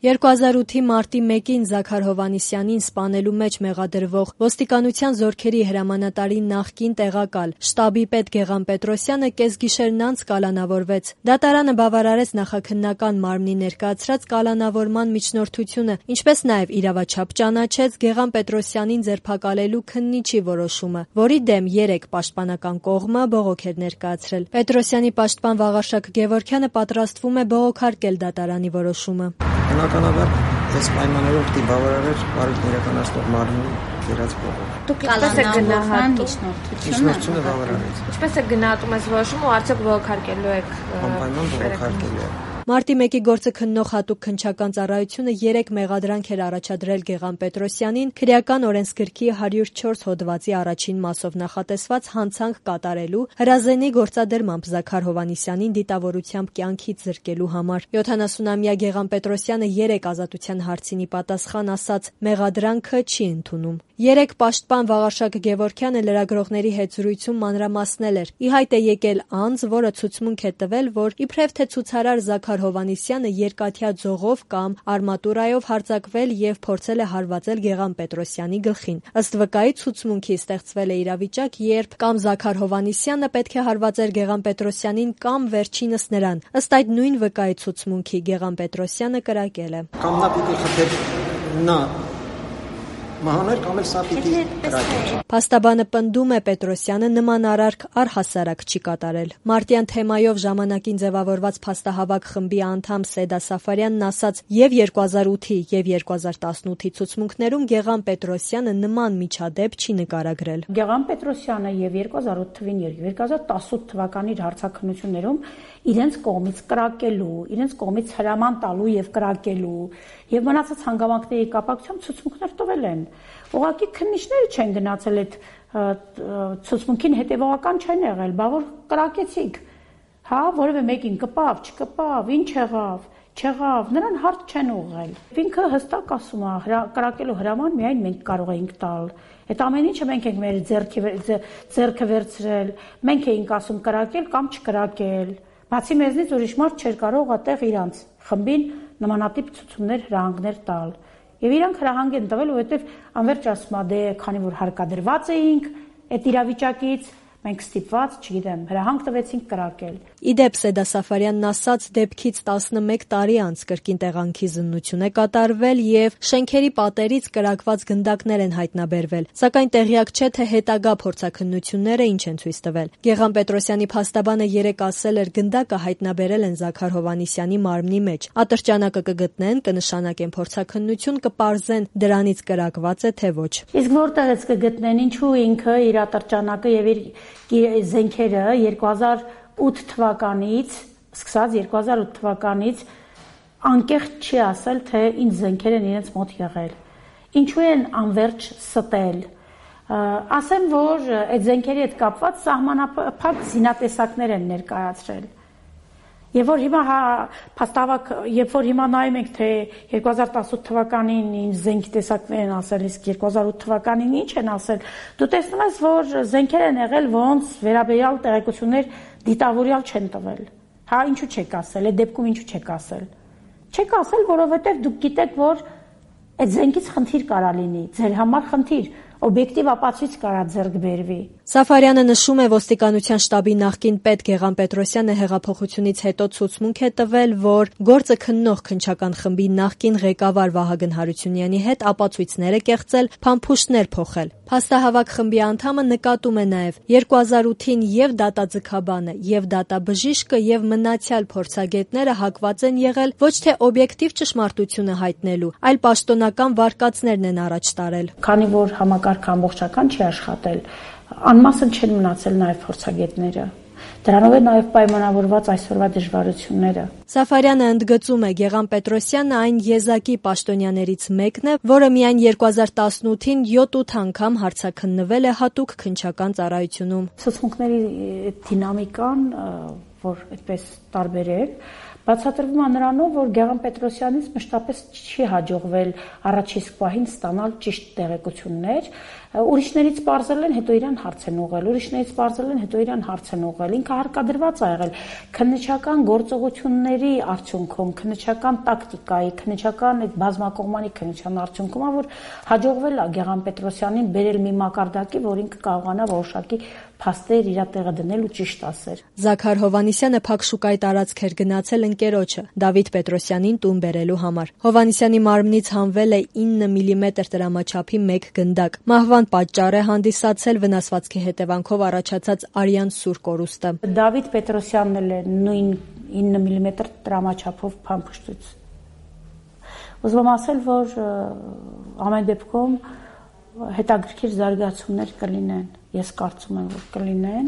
2008-ի մարտի 1-ին Զաքար Հովհաննիսյանին սպանելու մեջ մեղադրվող ոստիկանության զորքերի հրամանատարի նախկին տեղակալ շտաբի պետ Գեղամ Պետրոսյանը կեսգիշերն անց կալանավորվեց։ Դատարանը բավարարեց նախաքննական մարմնի ներկայացրած կալանավորման միջնորդությունը, ինչպես նաև իրավաչափ ճանաչեց Գեղամ Պետրոսյանին ձերբակալելու քննիչի որոշումը, որի դեմ 3 պաշտպանական կողմը բողոք էր ներկայացրել։ Պետրոսյանի պաշտպան Վաղարշակ Գևորգյանը պատրաստվում է բողոքարկել դատարանի որոշումը։ Բնականաբար, այս պայմաններով պիտի բավարարեր բարույթն իրականացնող մարմնի կերած բողոք։ Դուք ինչպես եք գնահատում միջնորդությունը բավարարեց։ Ինչպես եք գնահատում այս որոշումը ու արդյոք բողոքարկելու եք։ Անպայման բողոքարկելու եք։ Մարտի 1-ի գործը քննող հատուկ քննչական ծառայությունը 3 մեղադրանք էր առաջադրել Գեղամ Պետրոսյանին քրեական օրենսգրքի 104 հոդվածի առաջին մասով նախատեսված հանցանք կատարելու, հրազենի գործադրմամբ Զաքար Հովհաննիսյանին դիտավորությամբ կյանքից զրկելու համար։ 70-ամյա Գեղամ Պետրոսյանը 3 ազատության հարցինի պատասխան ասաց մեղադրանքը չի ընդունում։ 3 պաշտպան Վաղարշակ Գևորգյանը լրագրողների հետ զրույցում մանրամասնել էր։ Ի հայտ է եկել անձ, որը ցուցմունք է տվել, որ իբրև թե ցուցարար Զաքար Հովհաննիսյանը երկաթյա ձողով կամ արմատուրայով հարձակվել եւ փորձել է հարվածել Գեղամ Պետրոսյանի գլխին։ Ըստ վկայի ցուցմունքի ստեղծվել է իրավիճակ, երբ կամ Զաքար Հովհաննիսյանը պետք է հարվածեր Գեղամ Պետրոսյանին կամ վերջինս նրան։ Ըստ այդ նույն վկայի ցուցմունքի Գեղամ Պետրոսյանը կրակել է։ Կամ նա պիտի խփեր նա մահաներ կամ էլ սա պիտի կրակեր։ Փաստաբանը պնդում է Պետրոսյանը նման արարք առհասարակ չի կատարել։ Մարտյան թեմայով ժամանակին ձևավորված փաստահավաք խմբի անդամ Սեդա Սաֆարյանն ասաց եւ 2008-ի եւ 2018-ի ցուցմունքներում Գեղամ Պետրոսյանը նման միջադեպ չի նկարագրել։ Գեղամ Պետրոսյանը եւ 2008 թվին եւ 2018 թվականի հարցաքննություններում իրենց կողմից կրակելու, իրենց կողմից հրաման տալու եւ կրակելու եւ մնացած հանգամանքների կապակցությամբ ցուցմունքներ տվել են։ Ուղղակի քննիչները չեն գնացել այդ ցուցմունքին հետևողական չեն եղել, բա որ կրակեցիք։ Հա, որևէ մեկին կպավ, չկպավ, ինչ եղավ, չեղավ, նրան հարց չեն ուղղել։ Ինքը հստակ ասում է, կրակելու հրաման միայն մենք կարող էինք տալ։ Այդ ամեն ինչը մենք ենք մեր ձեռքը վերցրել, մենք էինք ասում կրակել կամ չկրակել։ Բացի մեզնից ուրիշ մարդ չէր կարող այդտեղ իրանց խմբին նմանատիպ ցուցումներ, հրահանգներ տալ։ Եվ իրանք հրահանգ են տվել, որովհետև անվերջ ասում է, դե քանի որ հարկադրված էինք այդ իրավիճակից, մենք ստիպված, չգիտեմ, հրահանգ տվեցինք կրակել։ Իդեպ Սեդա Սաֆարյանն ասաց, դեպքից 11 տարի անց կրկին տեղանքի զննություն է կատարվել եւ շենքերի պատերից կրակված գնդակներ են հայտնաբերվել, սակայն տեղյակ չէ, թե հետագա փորձաքննությունները ինչ են ցույց տվել։ Գեղամ Պետրոսյանի փաստաբանը 3 ասել էր, գնդակը հայտնաբերել են Զաքար Հովհաննիսյանի մարմնի մեջ։ Ատրճանակը կգտնեն, կնշանակեն փորձաքննություն, կպարզեն դրանից կրակված է թե ոչ։ Իսկ որտեղից կգտնեն, ինչու ինքը իր ատրճանակը եւ իր զենքերը 2008 թվականից, սկսած 2008 թվականից անկեղծ չի ասել, թե ինչ զենքեր են իրենց մոտ եղել։ Ինչու են անverջ ստել։ Ասեմ, որ այդ զենքերի հետ կապված սահմանափակ զինատեսակներ են ներկայացրել։ Եվ որ հիմա փաստավակ, երբ որ հիմա նայում ենք, թե 2018 թվականին ինչ զենքի տեսակներ են ասել, իսկ 2008 թվականին ինչ են ասել, դու տեսնում ես, որ զենքեր են եղել, ոնց վերաբերյալ տեղեկություններ դիտավորյալ չեն տվել։ Հա, ինչու չեք ասել, այդ դեպքում ինչու չեք ասել։ Չեք ասել, որովհետև դուք գիտեք, որ այդ զենքից խնդիր կարա լինի, ձեր համար խնդիր, օբյեկտիվ ապացույց կարա ձեռք բերվի։ Սաֆարյանը նշում է, ոստիկանության շտաբի նախկին պետ Գեղամ Պետրոսյանը հեղափոխությունից հետո ցուցմունք է տվել, որ գործը քննող քննչական խմբի նախկին ղեկավար Վահագն Հարությունյանի հետ ապացույցներ է կեղծել, փամփուշտներ փոխել։ Փաստահավաք խմբի անդամը նկատում է նաև 2008-ին եւ դատաձգաբանը, եւ դատաբժիշկը եւ մնացյալ փորձագետները հակված են եղել ոչ թե օբյեկտիվ ճշմարտությունը հայտնելու, այլ պաշտոնական վարկածներն են առաջ տարել։ Քանի որ համակարգը ամբողջական չի աշխատել, անմասն չեն մնացել նաև փորձագետները։ Դրանով է նաև պայմանավորված այսօրվա դժվարությունները։ Սաֆարյանը ընդգծում է, Գեղամ Պետրոսյանը այն եզակի պաշտոնյաներից մեկն է, որը միայն 2018-ին 7-8 անգամ հարցաքննվել է հատուկ քննչական ծառայությունում։ Ցուցմունքների դինամիկան, որ այդպես տարբերել, Բացատրվում է նրանով, որ Գեղամ Պետրոսյանից մշտապես չի հաջողվել առաջին իսկ պահին ստանալ ճիշտ տեղեկություններ, ուրիշներից պարզել են, հետո իրան հարց են ուղղել, ուրիշներից պարզել են, հետո իրան հարց են ուղղել, ինքը հարկադրված է եղել քննչական գործողությունների արդյունքում, քննչական տակտիկայի, քննչական այդ բազմակողմանի քննչության արդյունքում, որ հաջողվել է Գեղամ Պետրոսյանին բերել մի մակարդակի, որ ինքը կարողանա որոշակի փաստեր իր տեղը դնել ու ճիշտ ասել։ Զաքար Հովհաննիսյանը փակ շուկայի տարածք էր գնացել ընկերոջը Դավիթ Պետրոսյանին տուն բերելու համար։ Հովհաննիսյանի մարմնից հանվել է 9 մմ տրամաչափի մեկ գնդակ։ Մահվան պատճառ է հանդիսացել վնասվածքի հետևանքով առաջացած արյան սուր կորուստը։ Դավիթ Պետրոսյանն էլ է նույն 9 մմ տրամաչափով փամփշտուց։ Ուզում եմ ասել, որ ամեն դեպքում հետաքրքիր զարգացումներ կլինեն։ Ես կարծում եմ, որ կլինեն։